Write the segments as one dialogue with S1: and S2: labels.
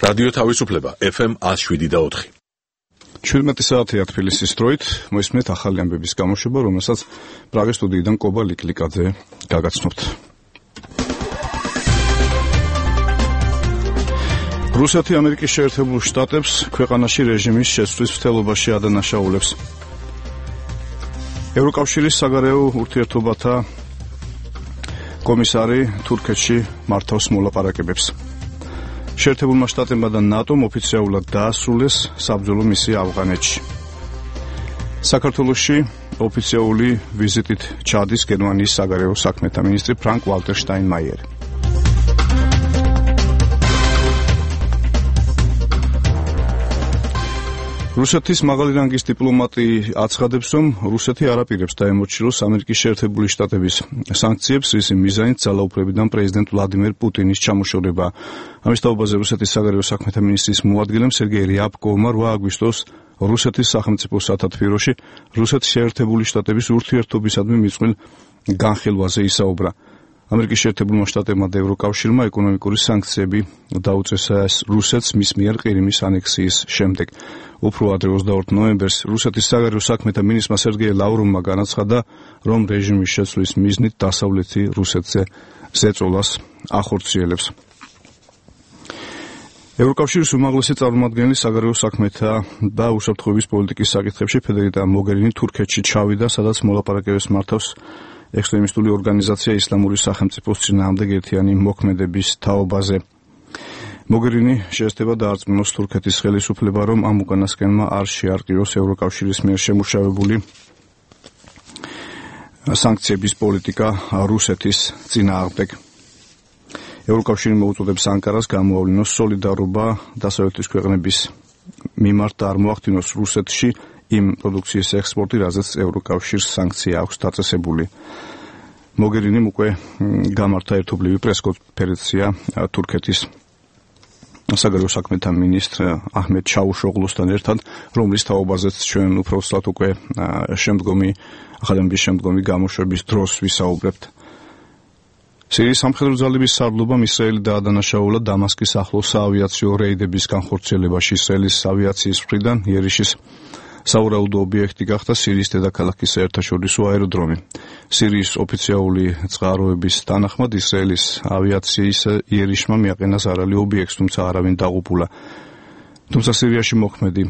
S1: რადიო თავისუფლება FM 107.4.
S2: 17 საათია თბილისის დროით, მოისმენთ ახალი ამბების გამოშვება, რომელსაც პრაღის სტუდიიდან კობა ლიკლიკაძე გაგაცნობთ. რუსეთი ამერიკის შეერთებულ შტატებს ქვეყანაში რეჟიმის შეცვლის მცდელობაში ადანაშაულებს. ევროკავშირის საგარეო ურთიერთობათა კომისარი თურქეთში მართავს მოლაპარაკებებს. შეერთებულმა შტატებმა და ნატომ ოფიციალურად დაასრულეს საბრძოლო მისია ავღანეთში. საქართველოში ოფიციალური ვიზიტით ჩადის გერმანიის საგარეო საქმეთა მინისტრი ფრანკ ვალტერ შტაინმაიერი. რუსეთის მაღალი რანგის დიპლომატი აცხადებს, რომ რუსეთი არ აპირებს დაემორჩილოს ამერიკის შეერთებული შტატების სანქციებს, რის მიზანით ძალაუფლებიდან პრეზიდენტ ვლადიმერ პუტინის ჩამოშორება. ამის თაობაზე რუსეთის საგარეო საქმეთა მინისტრის მოადგილემ სერგეი რიაბკოვმა 8 აგვისტოს რუსეთის სახელმწიფო სათათბიროში რუსეთის შეერთებული შტატების ურთიერთობისადმი მიწველ განხილვაზე ისაუბრა. ამერიკის შეერთებულმა შტატებმა და ევროკავშირმა ეკონომიკური სანქციები დაუწეს რუსეთს მის მიერ ყირიმის ანექსიის შემდეგ. უფრო ადრე 22 ნოემბერს რუსეთის საგარეო საქმეთა მინისტრმა სერგეი ლავროვმა განაცხადა, რომ რეჟიმის შეცვლის მიზნით დასავლეთი რუსეთზე ზეწოლას ახორციელებს. ევროკავშირის უმაღლესი წარმომადგენელი საგარეო საქმეთა და უსაფრთხოების პოლიტიკის საკითხებში ფედერიკა მოგერინი თურქეთში ჩავიდა, სადაც მოლაპარაკებებს მართავს ექსტრემისტული ორგანიზაცია ისლამური სახელმწიფოს წინააღმდეგ ერთიანი მოქმედების თაობაზე. მოგერინი შეესწრება დაარწმუნოს თურქეთის ხელისუფლება, რომ ამ უკანასკნელმა არ შეარყიოს ევროკავშირის მიერ შემუშავებული სანქციების პოლიტიკა რუსეთის წინააღმდეგ. ევროკავშირი მოუწოდებს ანკარას გამოავლინოს სოლიდარობა დასავლეთის ქვეყნების მიმართ და არ მოახდინოს რუსეთში იმ პროდუქციის ექსპორტი, რაზეც ევროკავშირს სანქცია აქვს დაწესებული. მოგერინიმ უკვე გამართა ერთობლივი პრესკონფერენცია თურქეთის საგარეო საქმეთა მინისტრ აჰმედ ჩაუშოღლუსთან ერთად, რომლის თაობაზეც ჩვენ უბრალოდ უკვე ახალი შემდგომი გამოშვების დროს ვისაუბრებთ. სირიის სამხედრო ძალების სარდლობამ ისრაელი დაადანაშაულა დამასკის ახლოს საავიაციო რეიდების განხორციელებაში. ისრაელის ავიაციის მხრიდან იერიშის საურაუდო ობიექტი გახდა სირიის დედაქალაქის საერთაშორისო აეროდრომი. სირიის ოფიციალური წყაროების თანახმად ისრაელის ავიაციის იერიშმა მიაყენა ზარალი ობიექტს, თუმცა არავინ დაღუპულა. თუმცა სირიაში მოქმედი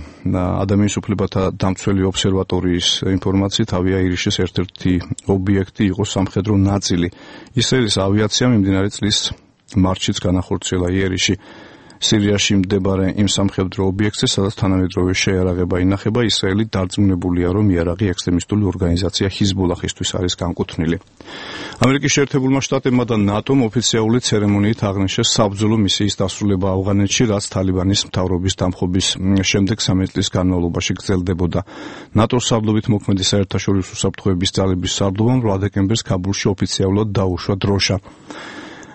S2: ადამიანის უფლებათა დამცველი ობსერვატორიის ინფორმაციით ავიაიერიშის ერთ-ერთი ობიექტი იყო სამხედრო ნაწილი. ისრაელის ავიაციამ მიმდინარე წლის მარტშიც განახორციელა იერიში სირიაში მდებარე იმ სამხედრო ობიექტზე, სადაც თანამედროვე შეიარაღება ინახება. ისრაელი დარწმუნებულია, რომ იარაღი ექსტრემისტული ორგანიზაცია ჰიზბულაჰისთვის არის განკუთვნილი. ამერიკის შეერთებულმა შტატებმა და ნატომ ოფიციალური ცერემონიით აღნიშნეს საბრძოლო მისიის დასრულება ავღანეთში, რაც თალიბანის მთავრობის დამხობის შემდეგ 13 წლის განმავლობაში გრძელდებოდა. ნატოს სარდლობით მოქმედი საერთაშორისო უსაფრთხოების ძალების სარდლობამ 8 დეკემბერს ქაბულში ოფიციალურად დაუშვა დროშა.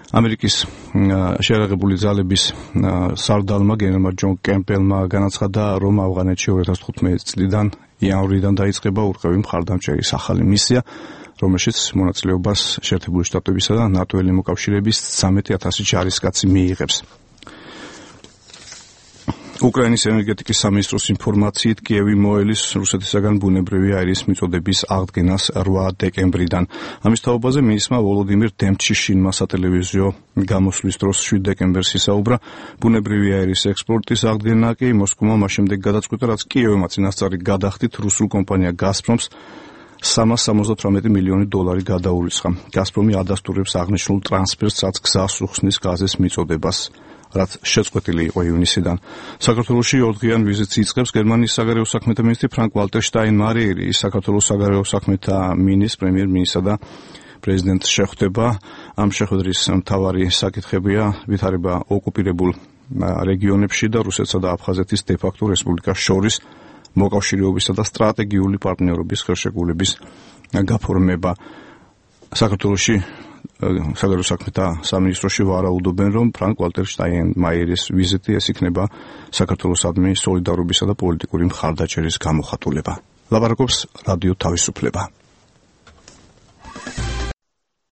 S2: ამერიკის შეიარაღებული ძალების სარდალმა გენერალმა ჯონ კემპელმა განაცხადა, რომ ავღანეთში 2015 წლიდან იანვრიდან დაიწყება ურყევი მხარდამჭერის ახალი მისია, რომელშიც მონაწილეობას შეერთებული შტატებისა და ნატო-ელი მოკავშირეების 13,000 ჯარისკაცი მიიღებს. უკრაინის ენერგეტიკის სამინისტროს ინფორმაციით კიევი მოელის რუსეთისაგან ბუნებრივი აირის მიწოდების აღდგენას 8 დეკემბრიდან. ამის თაობაზე მინისტრმა ვოლოდიმირ დემჩიშინმა სატელევიზიო გამოსვლის დროს 7 დეკემბერს ისაუბრა. ბუნებრივი აირის ექსპორტის აღდგენა კი მოსკოვმა მას შემდეგ გადაწყვიტა, რაც კიევმა წინასწარი გადახდით რუსულ კომპანია გაზპრომს $378 მილიონი გადაურიცხა. გაზპრომი ადასტურებს აღნიშნულ ტრანსფერს, რაც გზას უხსნის გაზის მიწოდებას, რაც შეწყვეტილი იყო ივნისიდან. საქართველოში 4 დღიან ვიზიტს იწყებს გერმანიის საგარეო საქმეთა მინისტრი ფრანკ ვალტერ შტაინმაიერი. საქართველოს საგარეო საქმეთა მინისტრ, პრემიერ-მინისტრსა და პრეზიდენტს შეხვდება. ამ შეხვედრის მთავარი საკითხებია ვითარება ოკუპირებულ რეგიონებში და რუსეთსა და აფხაზეთის დე-ფაქტო რესპუბლიკას შორის მოკავშირეობისა და სტრატეგიული პარტნიორობის ხელშეკრულების გაფორმება. საქართველოში საგარეო საქმეთა სამინისტროში ვარაუდობენ, რომ ფრანკ ვალტერ შტაინმაიერის ვიზიტი ეს იქნება საქართველოსადმი სოლიდარობისა და პოლიტიკური მხარდაჭერის გამოხატულება. ლაპარაკობს რადიო თავისუფლება.